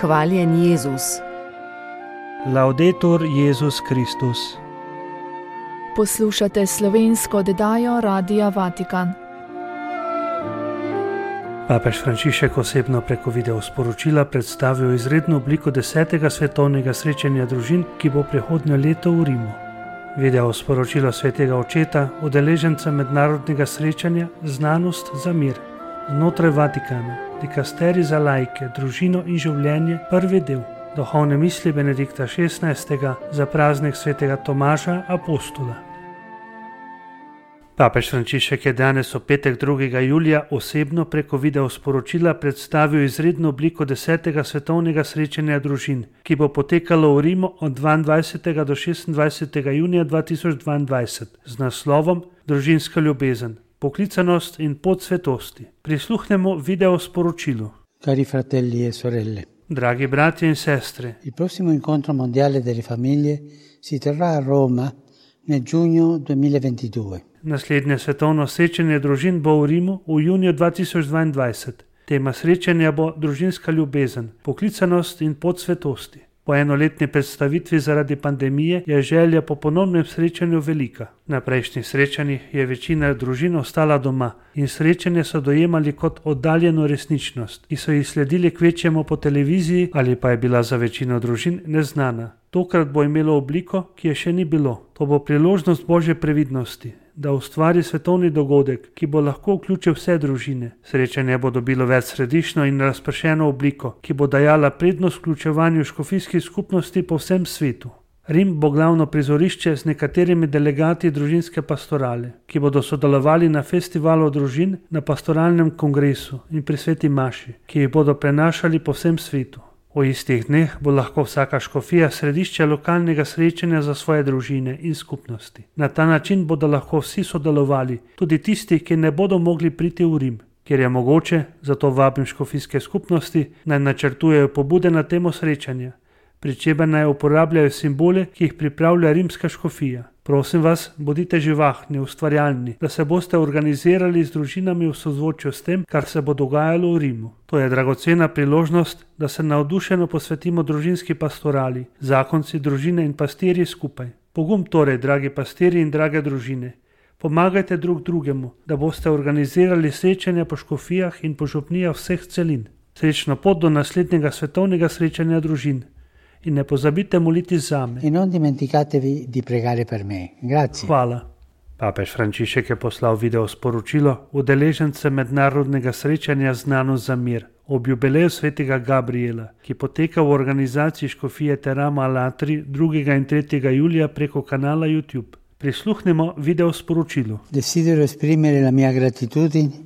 Hvaljen Jezus. Laudetur Jezus Kristus. Poslušate slovensko oddajo Radia Vatikan. Papež Frančišek osebno preko video sporočila predstavil izredno obliko 10. svetovnega srečanja družin, ki bo prihodnje leto v Rimu. Video sporočilo svetega očeta, udeleženca mednarodnega srečanja Znanost za mir. Znotraj Vatikana, dikasterij za laike, družino in življenje, prvi del. Duhovne misli Benedikta XVI. Za praznik svetega Tomaža Apostola. Papež Frančišek je danes v petek 2. julija osebno preko video sporočila predstavil izredno obliko 10. svetovnega srečanja družin, ki bo potekalo v Rimu od 22. do 26. junija 2022 z naslovom Družinska ljubezen, poklicanost in pot svetosti. Prisluhnemo video sporočilu. Cari fratelli e sorelle. Dragi bratje in sestre, Il prossimo incontro mondiale delle famiglie si terrà a Roma nel giugno 2022. naslednje svetovno srečanje družin bo v Rimu v juniju 2022. Tema srečanja bo družinska ljubezen, poklicanost in pot svetosti. Po enoletni predstavitvi zaradi pandemije je želja po ponovnem srečanju velika. Na prejšnjih srečanjih je večina družin ostala doma in srečanje so dojemali kot oddaljeno resničnost, ki so jih sledili kvečjemu po televiziji ali pa je bila za večino družin neznana. Tokrat bo imelo obliko, ki je še ni bilo. To bo priložnost Božje previdnosti, da ustvari svetovni dogodek, ki bo lahko vključil vse družine. Srečanje bo dobilo večsrediščno in razpršeno obliko, ki bo dajala prednost vključevanju škofijskih skupnosti po vsem svetu. Rim bo glavno prizorišče z nekaterimi delegati družinske pastorale, ki bodo sodelovali na festivalu družin, na pastoralnem kongresu in pri sveti maši, ki jih bodo prenašali po vsem svetu. V istih dneh bo lahko vsaka škofija središče lokalnega srečanja za svoje družine in skupnosti. Na ta način bodo lahko vsi sodelovali, tudi tisti, ki ne bodo mogli priti v Rim. Kjer je mogoče, zato vabim škofijske skupnosti, naj načrtujejo pobude na temo srečanja, pri čemer naj uporabljajo simbole, ki jih pripravlja rimska škofija. Prosim vas, bodite živahni, ustvarjalni, da se boste organizirali z družinami v sozvočju s tem, kar se bo dogajalo v Rimu. To je dragocena priložnost, da se navdušeno posvetimo družinski pastorali, zakonci, družine in pastirji skupaj. Pogum torej, dragi pastirji in drage družine. Pomagajte drug drugemu, da boste organizirali srečanja po škofijah in po župnijah vseh celin. Srečno pot do naslednjega svetovnega srečanja družin. In ne pozabite moliti zame. E non dimenticatevi di pregare per me. Grazie. Hvala. Papež Frančišek je poslal video sporočilo udeležence mednarodnega srečanja Znanost za mir ob jubileju svetega Gabriela, ki poteka v organizaciji škofije Teramo Alatri 2. in 3. julija preko kanala YouTube. Prisluhnimo video sporočilu. Desidero esprimere la mia gratitudine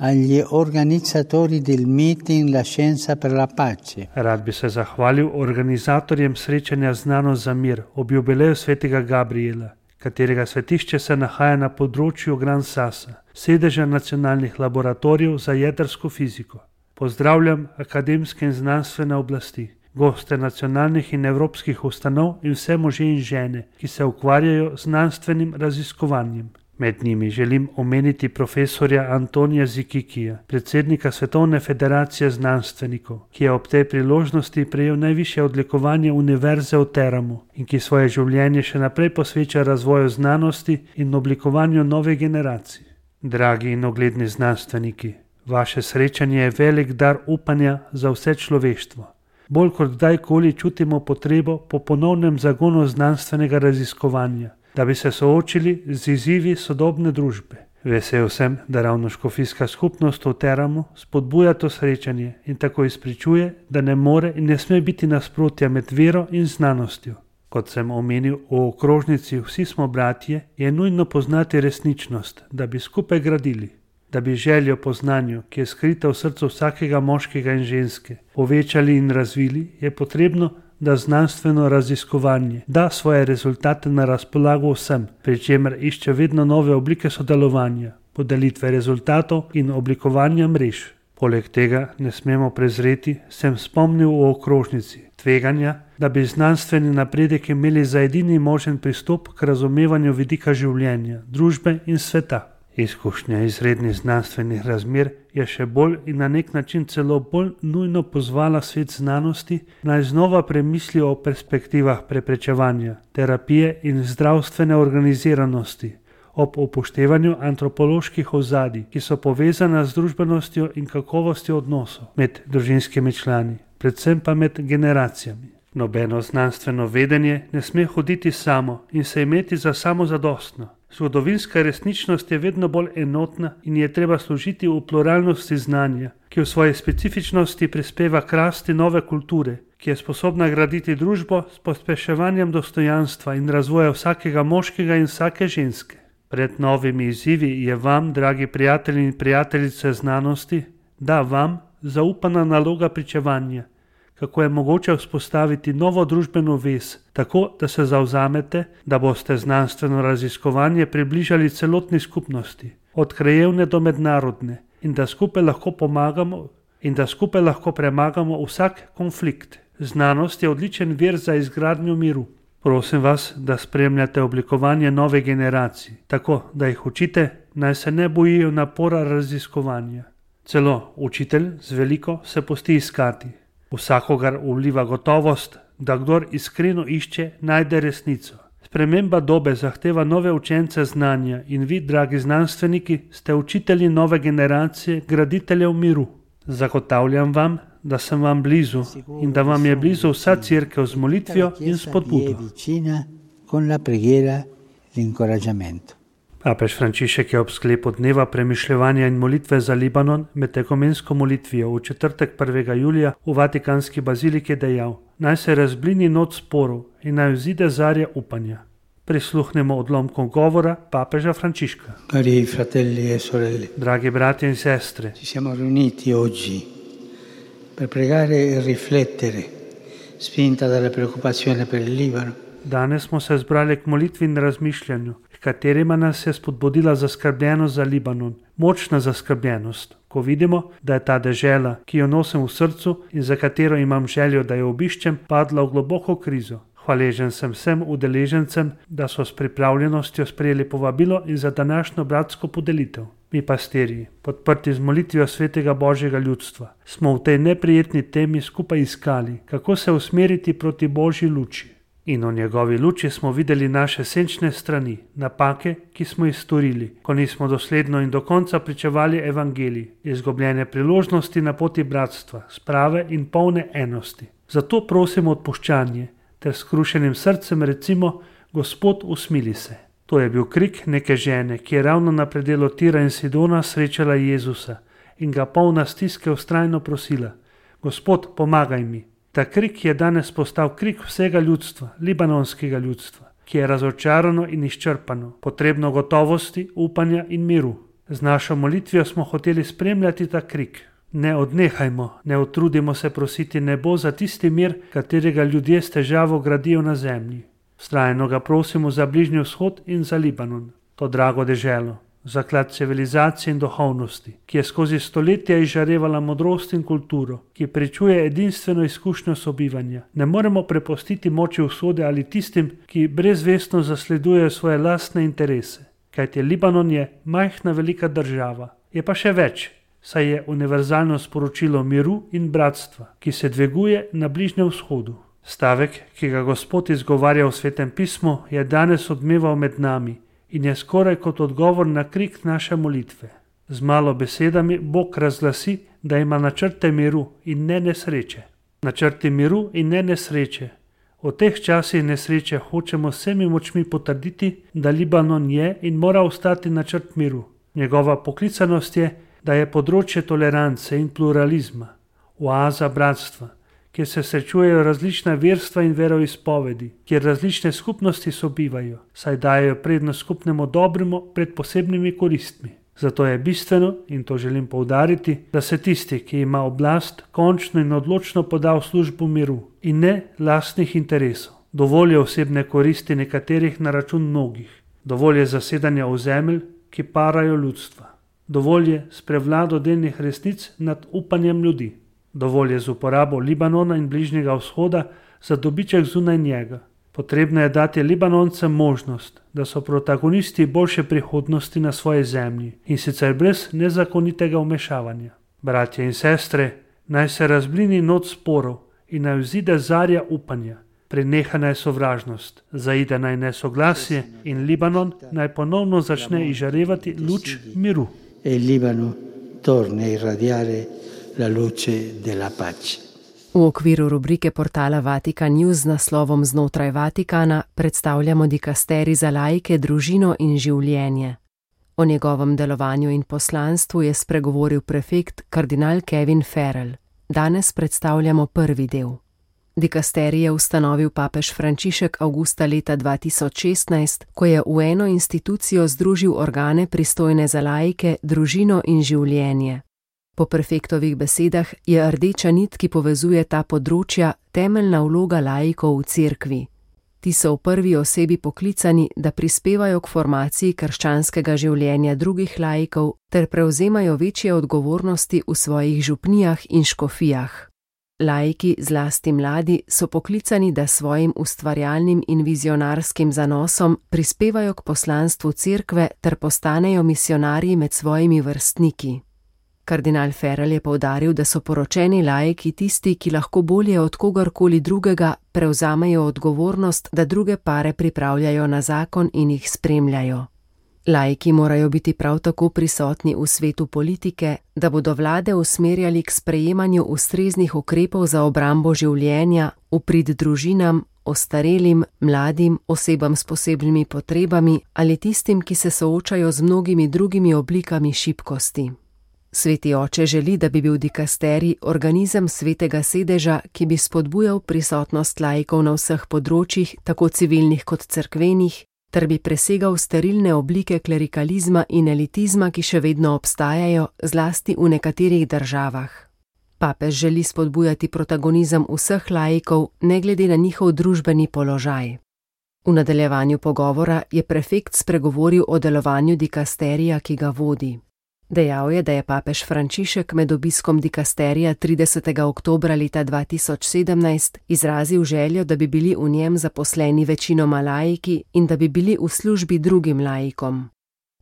agli organizzatori del meeting La Scienza per la Pace. Rad bi se zahvalil organizatorjem srečanja Znanost za mir ob jubileju svetega Gabriela, katerega svetišče se nahaja na področju Gran Sassa, sedeža nacionalnih laboratorijev za jedrsko fiziko. Pozdravljam akademske in znanstvene oblasti, goste nacionalnih in evropskih ustanov in vse može in žene, ki se ukvarjajo z znanstvenim raziskovanjem. Med njimi želim omeniti profesorja Antonija Zikikija, predsednika Svetovne federacije znanstvenikov, ki je ob tej priložnosti prejel najvišje odlikovanje Univerze v Teramu in ki svoje življenje še naprej posveča razvoju znanosti in oblikovanju nove generacije. Dragi in ugledni znanstveniki, vaše srečanje je velik dar upanja za vse človeštvo. Bolj kot kdajkoli čutimo potrebo po ponovnem zagonu znanstvenega raziskovanja, da bi se soočili z izzivi sodobne družbe. Vesel sem, da ravno škofijska skupnost v Teramu spodbuja to srečanje in tako izpričuje, da ne more in ne sme biti nasprotja med vero in znanostjo. Kot sem omenil v okrožnici Vsi smo bratje, je nujno poznati resničnost, da bi skupaj gradili. Da bi željo po znanju, ki je skrita v srcu vsakega moškega in ženske, povečali in razvili, je potrebno, da znanstveno raziskovanje da svoje rezultate na razpolago vsem, pri čemer išče vedno nove oblike sodelovanja, podelitve rezultatov in oblikovanja mrež. Poleg tega ne smemo prezreti, sem spomnil v okrožnici, tveganja, da bi znanstveni napredek imeli za edini možen pristop k razumevanju vidika življenja, družbe in sveta. Izkušnja izrednih znanstvenih razmer je še bolj in na nek način celo bolj nujno pozvala svet znanosti, naj znova premisli o perspektivah preprečevanja, terapije in zdravstvene organiziranosti, ob upoštevanju antropoloških ozadij, ki so povezana z družbenostjo in kakovostjo odnosov med družinskimi člani, predvsem pa med generacijami. Nobeno znanstveno vedenje ne sme hoditi samo in se imeti za samozadostno. Zgodovinska resničnost je vedno bolj enotna in je treba služiti v pluralnosti znanja, ki v svoji specifičnosti prispeva k rasti nove kulture, ki je sposobna graditi družbo s pospeševanjem dostojanstva in razvoja vsakega moškega in vsake ženske. Pred novimi izzivi je vam, dragi prijatelji in prijateljice znanosti, vam zaupana naloga pričevanja, kako je mogoče vzpostaviti novo družbeno vez, tako da se zavzamete, da boste znanstveno raziskovanje približali celotni skupnosti, od krajevne do mednarodne, in da skupaj lahko premagamo vsak konflikt. Znanost je odličen vir za izgradnjo miru. Prosim vas, da spremljate oblikovanje nove generacije, tako da jih učite, naj se ne bojijo napora raziskovanja. Celo učitelj z veliko se pusti iskati. Vsakogar vliva gotovost, da kdor iskreno išče, najde resnico. Sprememba dobe zahteva nove učence znanja in vi, dragi znanstveniki, ste učitelji nove generacije, graditeljev miru. Zagotavljam vam, da sem vam blizu in da vam je blizu vsa cerkev z molitvijo in spodbudo. Papež Frančišek je ob sklepu dneva premišljevanja in molitve za Libanon med ekumensko molitvijo v četrtek 1. julija v Vatikanski baziliki dejal: naj se razblini noč sporov in naj vzide zarja upanja. Prisluhnemo odlomkom govora papeža Frančiška. Cari fratelli e sorelle, dragi bratje in sestre, ci siamo riuniti oggi per pregare e riflettere, spinta dalla preoccupazione per il Libano. Danes smo se zbrali k molitvi in razmišljanju, katerima nas je spodbudila zaskrbljenost za Libanon, močna zaskrbljenost, ko vidimo, da je ta dežela, ki jo nosim v srcu in za katero imam željo, da jo obiščem, padla v globoko krizo. Hvaležen sem vsem udeležencem, da so s pripravljenostjo sprejeli povabilo in za današnjo bratsko podelitev. Mi pastirji, podprti z molitvijo svetega Božjega ljudstva, smo v tej neprijetni temi skupaj iskali, kako se usmeriti proti Božji luči. In v njegovi luči smo videli naše senčne strani, napake, ki smo jih storili, ko nismo dosledno in do konca pričevali evangelij, izgubljene priložnosti na poti bratstva, sprave in polne enosti. Zato prosimo odpuščanje, ter s skrušenim srcem recimo: Gospod, usmili se. To je bil krik neke žene, ki je ravno na predelu Tira in Sidona srečala Jezusa in ga polna stiske vztrajno prosila: Gospod, pomagaj mi. Ta krik je danes postal krik vsega ljudstva, libanonskega ljudstva, ki je razočarano in izčrpano, potrebno gotovosti, upanja in miru. Z našo molitvijo smo hoteli spremljati ta krik. Ne odnehajmo, ne utrudimo se prositi nebo za tisti mir, katerega ljudje s težavo gradijo na zemlji. Vztrajno ga prosimo za Bližnji vzhod in za Libanon, to drago deželo, zaklad civilizacije in duhovnosti, ki je skozi stoletja izžarevala modrost in kulturo, ki pričuje edinstveno izkušnjo sobivanja. Ne moremo prepustiti moči usode ali tistim, ki brezvestno zasledujejo svoje lastne interese, kajti Libanon je majhna velika država, je pa še več, saj je univerzalno sporočilo miru in bratstva, ki se dviguje na Bližnjem vzhodu. Stavek, ki ga Gospod izgovarja v Svetem pismu, je danes odmeval med nami in je skoraj kot odgovor na krik naše molitve. Z malo besedami Bog razglasi, da ima načrte miru in ne nesreče. Načrti miru in ne nesreče. V teh časih nesreče hočemo vsemi močmi potrditi, da Libanon je in mora ostati načrt miru. Njegova poklicanost je, da je področje tolerance in pluralizma, oaza bratstva, kjer se srečujejo različna verstva in veroizpovedi, kjer različne skupnosti sobivajo, saj dajejo prednost skupnemu dobremu pred posebnimi koristmi. Zato je bistveno, in to želim poudariti, da se tisti, ki ima oblast, končno in odločno poda v službo miru in ne lastnih interesov. Dovolj je osebne koristi nekaterih na račun mnogih. Dovolj je zasedanja ozemelj, ki parajo ljudstva. Dovolj je s prevlado delnih resnic nad upanjem ljudi. Dovolj je z uporabo Libanona in Bližnjega vzhoda za dobiček zunaj njega. Potrebno je dati Libanoncem možnost, da so protagonisti boljše prihodnosti na svoji zemlji in sicer brez nezakonitega vmešavanja. Bratje in sestre, naj se razblini noč sporov in naj vzide zarja upanja. Preneha naj sovražnost, zaide naj nesoglasje in Libanon naj ponovno začne izžarevati luč miru. E il Libano torna a irradiare la luce della pace. V okviru rubrike portala Vatikan News z naslovom Znotraj Vatikana predstavljamo dikasterij za laike, družino in življenje. O njegovem delovanju in poslanstvu je spregovoril prefekt kardinal Kevin Farrell. Danes predstavljamo prvi del. Dikasterij je ustanovil papež Frančišek avgusta leta 2016, ko je v eno institucijo združil organe pristojne za laike, družino in življenje. Po prefektovih besedah je rdeča nit, ki povezuje ta področja, temeljna vloga laikov v cerkvi. Ti so v prvi osebi poklicani, da prispevajo k formaciji krščanskega življenja drugih laikov ter prevzemajo večje odgovornosti v svojih župnijah in škofijah. Laiki, zlasti mladi, so poklicani, da svojim ustvarjalnim in vizionarskim zanosom prispevajo k poslanstvu cerkve ter postanejo misionarji med svojimi vrstniki. Kardinal Farrell je poudaril, da so poročeni laiki tisti, ki lahko bolje od kogarkoli drugega prevzamejo odgovornost, da druge pare pripravljajo na zakon in jih spremljajo. Laiki morajo biti prav tako prisotni v svetu politike, da bodo vlade usmerjali k sprejemanju ustreznih ukrepov za obrambo življenja, v prid družinam, ostarelim, mladim, osebam s posebnimi potrebami ali tistim, ki se soočajo z mnogimi drugimi oblikami šibkosti. Sveti oče želi, da bi bil dikasterij organizem svetega sedeža, ki bi spodbujal prisotnost laikov na vseh področjih, tako civilnih kot cerkvenih, ter bi presegal sterilne oblike klerikalizma in elitizma, ki še vedno obstajajo, zlasti v nekaterih državah. Papež želi spodbujati protagonizem vseh laikov, ne glede na njihov družbeni položaj. V nadaljevanju pogovora je prefekt spregovoril o delovanju dikasterija, ki ga vodi. Dejal je, da je papež Frančišek med obiskom dikasterija 30. oktobra leta 2017 izrazil željo, da bi bili v njem zaposleni večinoma laiki in da bi bili v službi drugim laikom.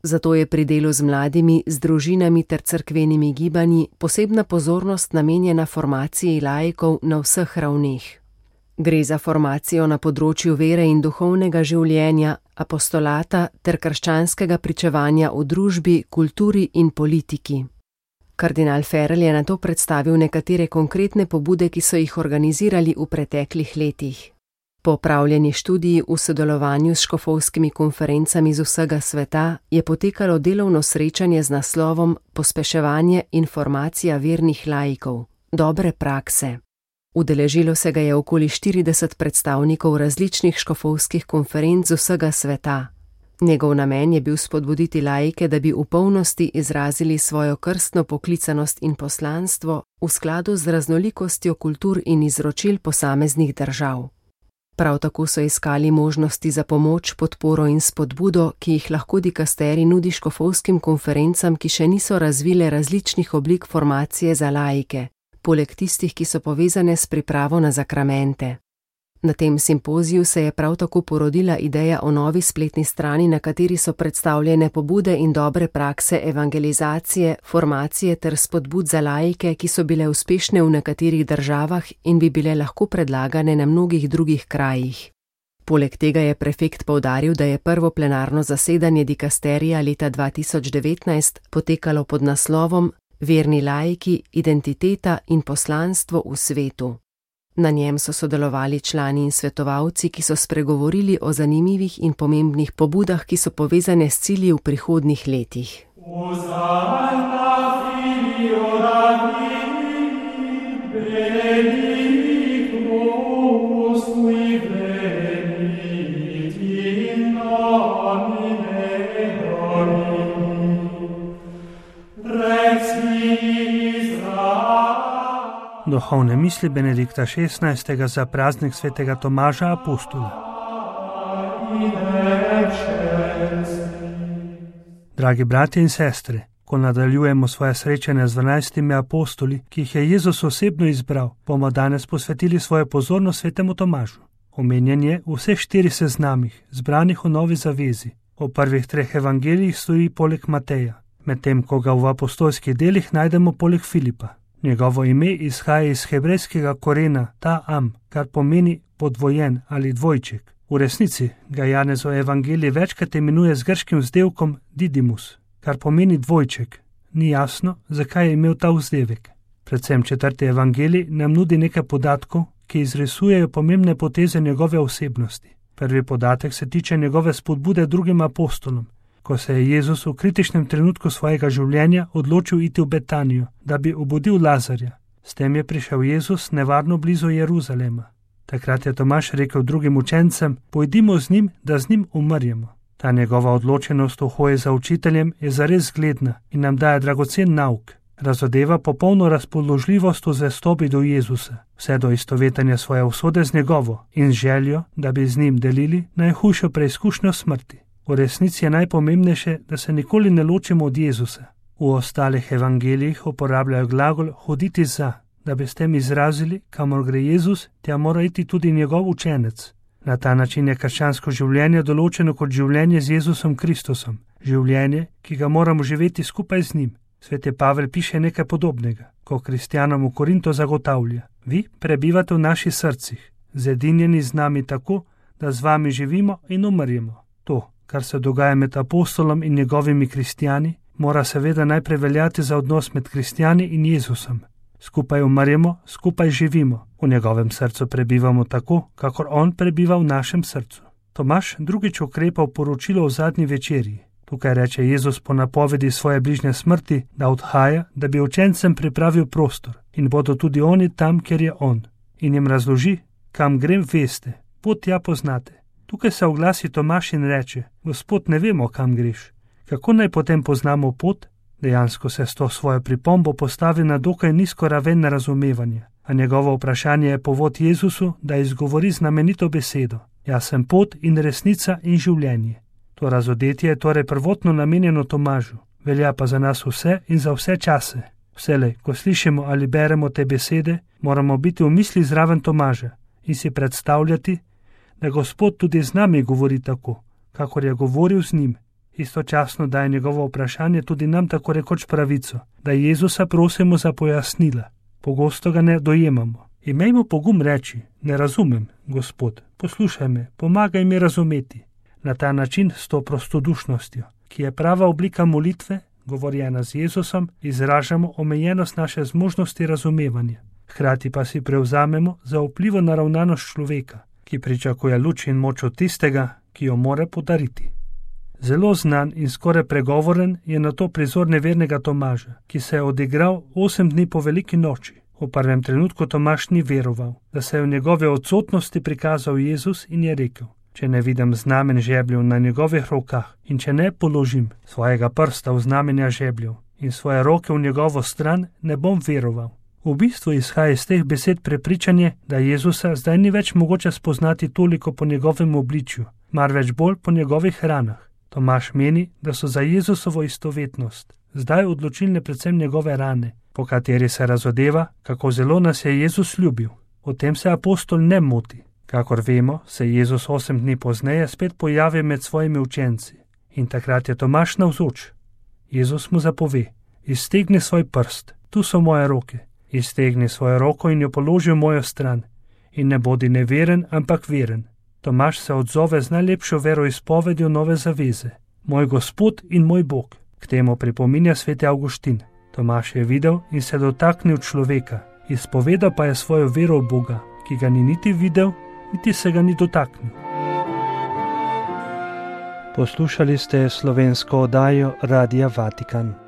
Zato je pri delu z mladimi, z družinami ter cerkvenimi gibanji posebna pozornost namenjena formaciji laikov na vseh ravneh. Gre za formacijo na področju vere in duhovnega življenja, apostolata ter krščanskega pričevanja v družbi, kulturi in politiki. Kardinal Farrell je nato predstavil nekatere konkretne pobude, ki so jih organizirali v preteklih letih. Po opravljeni študiji v sodelovanju s škofovskimi konferencami z vsega sveta je potekalo delovno srečanje z naslovom Pospeševanje in formacija vernih laikov, dobre prakse. Udeležilo se ga je okoli 40 predstavnikov različnih škofovskih konferenc z vsega sveta. Njegov namen je bil spodbuditi laike, da bi v polnosti izrazili svojo krstno poklicanost in poslanstvo v skladu z raznolikostjo kultur in izročil posameznih držav. Prav tako so iskali možnosti za pomoč, podporo in spodbudo, ki jih lahko dikasterij nudi škofovskim konferencam, ki še niso razvile različnih oblik formacije za laike, poleg tistih, ki so povezane s pripravo na zakramente. Na tem simpoziju se je prav tako porodila ideja o novi spletni strani, na kateri so predstavljene pobude in dobre prakse evangelizacije, formacije ter spodbud za laike, ki so bile uspešne v nekaterih državah in bi bile lahko predlagane na mnogih drugih krajih. Poleg tega je prefekt poudaril, da je prvo plenarno zasedanje dikasterija leta 2019 potekalo pod naslovom Verni laiki, identiteta in poslanstvo v svetu. Na njem so sodelovali člani in svetovalci, ki so spregovorili o zanimivih in pomembnih pobudah, ki so povezane s cilji v prihodnjih letih. Duhovne misli Benedikta XVI. Za praznik svetega Tomaža Apostola. Dragi bratje in sestre, ko nadaljujemo svoje srečanje z 12 apostoli, ki jih je Jezus osebno izbral, bomo danes posvetili svojo pozornost svetemu Tomažu. Omenjen je v vseh 4 seznamih, zbranih v Novi zavezi. V prvih 3 evangelijih stoji poleg Mateja, medtem ko ga v apostolskih delih najdemo poleg Filipa. Njegovo ime izhaja iz hebrejskega korena ta-am, kar pomeni podvojen ali dvojček. V resnici ga Janezov evangelij večkrat imenuje z grškim vzdevkom Didymus, kar pomeni dvojček. Ni jasno, zakaj je imel ta vzdevek. Predvsem 4. evangelij nam nudi nekaj podatkov, ki izrisujejo pomembne poteze njegove osebnosti. Prvi podatek se tiče njegove spodbude drugim apostolom, ko se je Jezus v kritičnem trenutku svojega življenja odločil iti v Betanijo, da bi obudil Lazarja. S tem je prišel Jezus nevarno blizu Jeruzalema. Takrat je Tomaž rekel drugim učencem: pojdimo z njim, da z njim umrjemo. Ta njegova odločenost v hoji za učiteljem je zares zgledna in nam daje dragocen nauk. Razodeva popolno razpoložljivost v zvestobi do Jezusa, vse do istovetenja svoje usode z njegovo in željo, da bi z njim delili najhujšo preizkušnjo smrti. V resnici je najpomembnejše, da se nikoli ne ločimo od Jezusa. V ostalih evangelijih uporabljajo glagol hoditi za, da bi s tem izrazili, kamor gre Jezus, tja mora iti tudi njegov učenec. Na ta način je krščansko življenje določeno kot življenje z Jezusom Kristusom, življenje, ki ga moramo živeti skupaj z njim. Sveti Pavel piše nekaj podobnega, ko kristjanom v Korinto zagotavlja: vi prebivate v naših srcih, zedinjeni z nami tako, da z vami živimo in umrjemo. To, kar se dogaja med apostolom in njegovimi kristjani, mora seveda najprej veljati za odnos med kristjani in Jezusom. Skupaj umrjemo, skupaj živimo, v njegovem srcu prebivamo tako, kakor on prebiva v našem srcu. Tomaž drugič ukrepa v poročilo o zadnji večerji. Tukaj reče Jezus po napovedi svoje bližnje smrti, da odhaja, da bi učencem pripravil prostor in bodo tudi oni tam, kjer je on. In jim razloži: kam grem, veste, pot tja poznate. Tukaj se oglasi Tomaž in reče: Gospod, ne vemo, kam greš. Kako naj potem poznamo pot? Dejansko se s to svojo pripombo postavi na dokaj nizko raven razumevanja, a njegovo vprašanje je povod Jezusu, da izgovori znamenito besedo: jaz sem pot in resnica in življenje. To razodetje je torej prvotno namenjeno Tomažu, velja pa za nas vse in za vse čase. Vselej, ko slišimo ali beremo te besede, moramo biti v misli zraven Tomaža in si predstavljati, da Gospod tudi z nami govori tako, kakor je govoril z njim. Istočasno daje njegovo vprašanje tudi nam tako rekoč pravico, da Jezusa prosimo za pojasnila. Pogosto ga ne dojemamo. Imejmo pogum reči: ne razumem, Gospod, poslušaj me, pomagaj mi razumeti. Na ta način s to prostodušnostjo, ki je prava oblika molitve, govorjena z Jezusom, izražamo omejenost naše zmožnosti razumevanja. Hkrati pa si prevzamemo zaupljivo naravnanost človeka, ki pričakuje luč in moč od tistega, ki jo more podariti. Zelo znan in skoraj pregovoren je na to prizor nevernega Tomaža, ki se je odigral 8 dni po veliki noči. V prvem trenutku Tomaž ni veroval, da se je v njegove odsotnosti prikazal Jezus in je rekel: če ne vidim znamen žebljev na njegovih rokah in če ne položim svojega prsta v znamenja žebljev in svoje roke v njegovo stran, ne bom veroval. V bistvu izhaja iz teh besed prepričanje, da Jezusa zdaj ni več mogoče spoznati toliko po njegovem obličju, marveč bolj po njegovih ranah. Tomaž meni, da so za Jezusovo istovetnost zdaj odločilne predvsem njegove rane, po kateri se razodeva, kako zelo nas je Jezus ljubil. O tem se apostol ne moti. Kakor vemo, se Jezus 8 dni pozneje spet pojavi med svojimi učenci in takrat je Tomaž navzoč. Jezus mu zapove: iztegni svoj prst, tu so moje roke, iztegni svojo roko in jo položi v mojo stran in ne bodi neveren, ampak veren. Tomaž se odzove z najlepšo veroizpovedjo nove zaveze: moj Gospod in moj Bog. K temu pripominja sveti Avguštin. Tomaž je videl in se dotaknil človeka, izpovedal pa je svojo vero v Boga, ki ga ni niti videl, niti se ga ni dotaknil. Poslušali ste slovensko oddajo Radia Vatikan.